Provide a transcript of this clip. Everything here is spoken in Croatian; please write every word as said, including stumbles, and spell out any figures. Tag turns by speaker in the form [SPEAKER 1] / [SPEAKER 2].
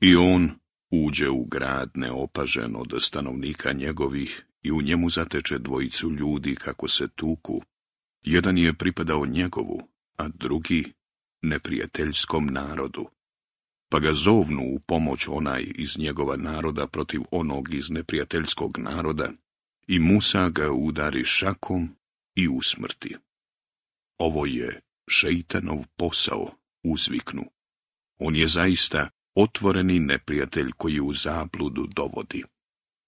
[SPEAKER 1] I on uđe u grad neopažen od stanovnika njegovih i u njemu zateče dvojicu ljudi kako se tuku. Jedan je pripadao njegovu, a drugi neprijateljskom narodu. Pa ga zovnu u pomoć onaj iz njegova naroda protiv onog iz neprijateljskog naroda i Musa ga udari šakom i usmrti. Ovo je šeitanov posao, uzviknu. On je zaista otvoreni neprijatelj koji u zabludu dovodi.